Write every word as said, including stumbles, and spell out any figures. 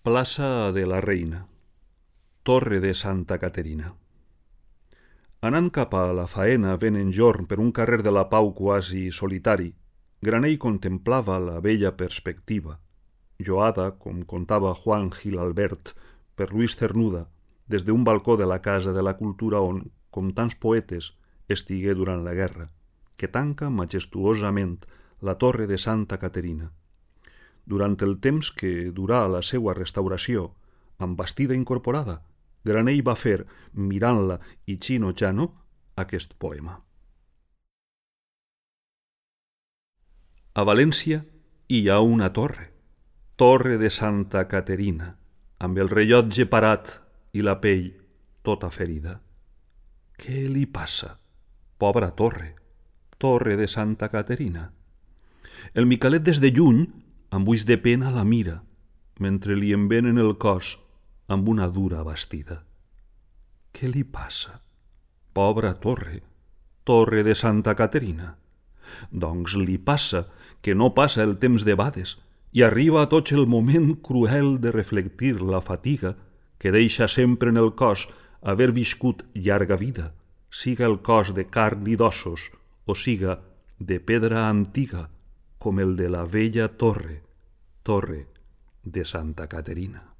Plaça de la Reina, Torre de Santa Caterina. Anant cap a la faena ben enjorn per un carrer de la Pau quasi solitari, Granell contemplava la bella perspectiva, lloada, com contava Juan Gil Albert, per Luis Cernuda, des d'un balcó de la Casa de la Cultura on, com tants poetes, estigué durant la guerra, que tanca majestuosament la Torre de Santa Caterina. Durant el temps que durà la seua restauració, amb bastida incorporada, Granell va fer, mirant-la i xinojant-ho, aquest poema. A València hi ha una torre, Torre de Santa Caterina, amb el rellotge parat i la pell tota ferida. Què li passa? Pobra torre, Torre de Santa Caterina. El Micalet des de lluny, amb ulls de pena la mira, mentre li envenen el cos amb una dura bastida. Què li passa? Pobra torre, Torre de Santa Caterina. Doncs li passa que no passa el temps de bades i arriba a tots el moment cruel de reflectir la fatiga que deixa sempre en el cos haver viscut llarga vida, siga el cos de carn i d'ossos o siga de pedra antiga, com el de la vella torre, Torre de Santa Caterina.